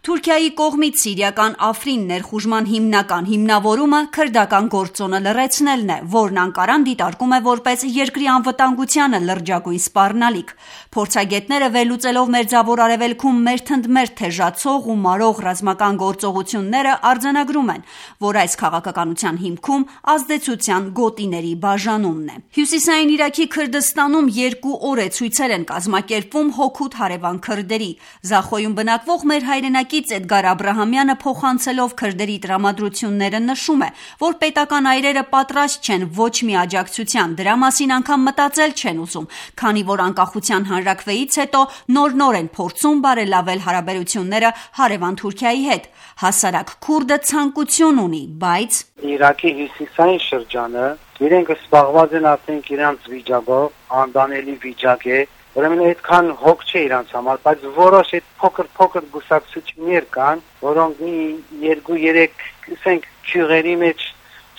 Թուրքիայի կողմից սիրիական Աֆրին ներխուժման հիմնական հիմնավորումը քրդական գործոնը լռեցնելն է, որն Անկարան դիտարկում է որպես երկրի անվտանգությանը լրջագույն սպառնալիք։ Փորձագետները վերլուծելով Մերձավոր Արևելքում մերթընդմերթ թեժացող ու մարող ռազմական գործողությունները արձանագրում են, որ այս քաղաքականության հիմքում ազդեցության գոտիների բաժանումն է։ Հյուսիսային Իրաքի Քրդստանում 2 օր է ցույցեր են կազմակերպվում հօգուտ հարևան քրդերի։ Զախոյում բնակվող մեր հայրենակից Էդգար Աբրահամյանը փոխանցելով քրդերի տրամադրությունները նշում է, որ պետական այրերը պատրաստ չեն ոչ մի աջակցության, դրա մասին անգամ մտածել չեն ուզում, քանի որ անկախության հանրաքվեից հետո նոր են փորձում բարելավել հարաբերությունները հարևան Թուրքիայի հետ։ Հասարակ քուրդը ցանկություն ունի, բայց Իրաքի հյուսիսային շրջանը իրենք զբաղված են արդեն իրանց վիճակով, անդանելի վիճակ է, ուրեմն այդքան հոգ չէ իրանց համար, բայց որոշ այդ փոքր գուսակցություններ կան, որոնք մի 2-3 ասենք քյուղերի մեջ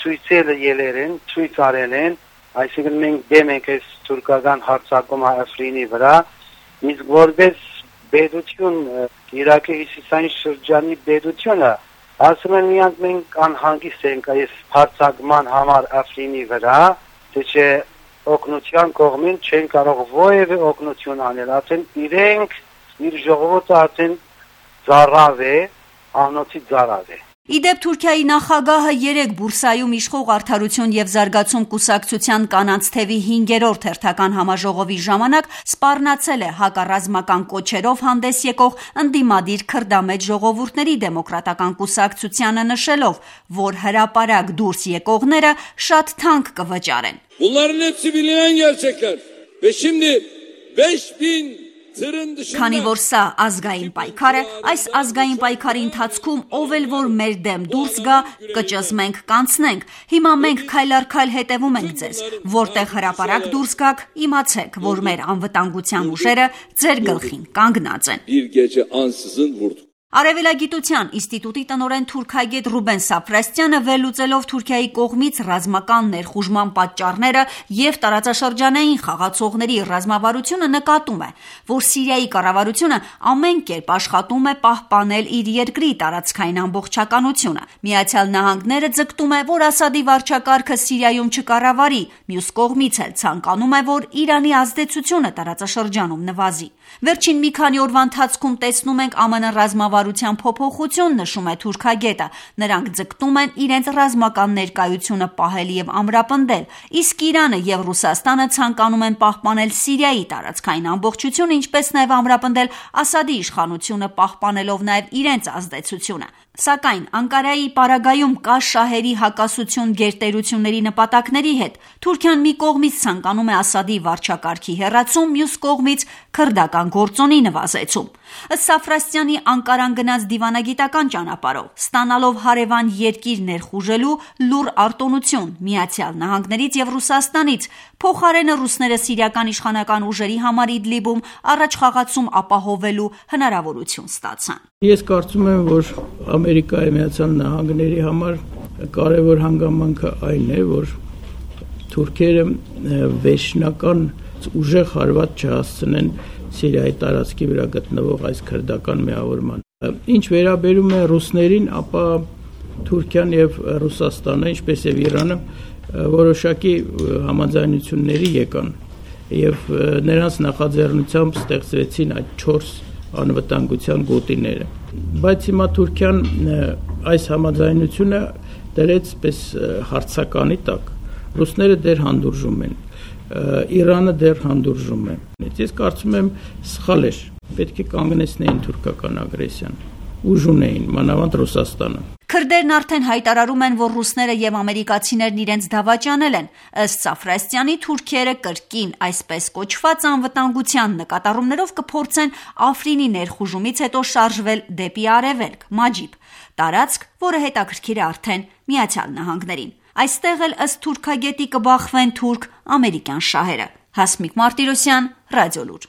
ցույց արել են, այսինքն մենք դեմ ենք այս թուրքական հարձակումը Աֆրինի վրա, իսկ որպես պետություն Իրաքի հյուսիսային շրջանի պետությունը ասում են միանք մենք անհանգիստ ենք այս հարձակման համար Աֆրինի վրա, թե չէ օգնության կողմին չեն կարող որևէ օգնություն անել, արդեն իրենք իր ժողովուրդը արդեն ծառավ է, անոցի ծառավ է։ Իդեպ Թուրքիայի նախագահը 3 Բուրսայում իշխող Արդարություն եւ զարգացում կուսակցության կանանց թևի 5-րդ հերթական համաժողովի ժամանակ սպառնացել է հակառազմական կոչերով հանդես եկող ընդդիմադիր քրդամետ ժողովուրդների դեմոկրատական կուսակցությանը նշելով, որ հրապարակ դուրս եկողները շատ թանկ կվճարեն։ Bunların hepsi bilinen gerçekler. Ve şimdi 5000 Քանի որ սա ազգային պայքար է, այս ազգային պայքարի ընթացքում ով էլ որ մեր դեմ դուրս գա, կճզմենք, կանցնենք։ Հիմա մենք քայլ առ քայլ հետևում ենք ձեզ, որտեղ հրապարակ դուրս գաք, իմացեք, որ մեր անվտանգության ուժերը ձեր գլխին կանգնած են։ Արևելագիտության ինստիտուտի տնօրեն թուրքագետ Ռուբեն Սաֆրաստյանը վերլուծելով Թուրքիայի կողմից ռազմական ներխուժման պատճառները եւ տարածաշրջանային խաղացողների ռազմավարությունը նկատում է, որ Սիրիայի կառավարությունը ամեն կերպ աշխատում է պահպանել իր երկրի տարածքային ամբողջականությունը։ Միացյալ Նահանգները ձգտում է, որ Ասադի վարչակարգը Սիրիայում չկառավարի, մյուս կողմից էլ ցանկանում է, որ Իրանի ազդեցությունը տարածաշրջանում նվազի։ Վերջին մի քանի օրվա ընթացքում տեսնում ենք ԱՄՆ ռազմավարության փոփոխություն, նշում է թուրքագետը։ Նրանք ձգտում են իրենց ռազմական ներկայությունը պահել եւ ամրապնդել, իսկ Իրանը եւ Ռուսաստանը ցանկանում են պահպանել Սիրիայի տարածքային ամբողջությունը, ինչպես նաեւ ամրապնդել Ասադի իշխանությունը, պահպանելով նաեւ իրենց ազդեցությունը։ Սակայն Անկարայի պարագայում կա շահերի հակասություն գերտերությունների նպատակների հետ։ Թուրքիան մի կողմից ցանկանում է Ասադի վարչակարգի հեռացում, մյուս կողմից քրդական գործոնի նվազեցում։ Ըստ Սաֆրաստյանի Անկարան գնաց դիվանագիտական ճանապարհով, ստանալով հարևան երկիր ներխուժելու լուռ արտոնություն Միացյալ Նահանգներից եւ Ռուսաստանից, փոխարենը ռուսները սիրիական իշխանական ուժերի համար Իդլիբում առաջխաղացում ապահովելու հնարավորություն ստացան։ Ես կարծում եմ, որ Ամերիկայի Միացյալ Նահանգների համար կարևոր հանգամանքը այն է, որ թուրքերը վերջնական ուժեղ հարված չհասցնեն Սիրիայի տարածքի վրա գտնվող այս քրդական միավորման։ Ինչ վերաբերում է ռուսներին, ապա Թուրքիան եւ Ռուսաստանը, ինչպես եւ Իրանը, որոշակի համաձայնությունների եկան եւ նրանց նախաձեռնությամբ ստեղծվեցին այդ 4 անվտանգության գոտիները։ Բայց հիմա Թուրքիան այս համաձայնությունը դրեց պես հարցականի տակ։ Ռուսները դեռ հանդուրժում են, Իրանը դեռ հանդուրժում է։ Ես կարծում եմ սխալ էր, պետք է կանգնեցնեին թուրքական ագրեսիան, ուժ ունեին, մանավանդ Ռուսաստանը։ Քրդերն արդեն հայտարարում են, որ ռուսները եւ ամերիկացիներն իրենց դավաճանել են։ Ըստ Սաֆրաստյանի թուրքերը կրկին այսպես կոչված անվտանգության նկատառումներով կփորձեն Աֆրինի ներխուժումից հետո շարժվել դեպի արևելք, Մաջիբ, տարածք, որը հետաքրքիր է արդեն Միացյալ Նահանգներին։ Այստեղ էլ ըստ թուրքագետի կբախվեն թուրք-ամերիկյան շահերը։ Հասմիկ Մարտիրոսյան, Ռադիոլուր։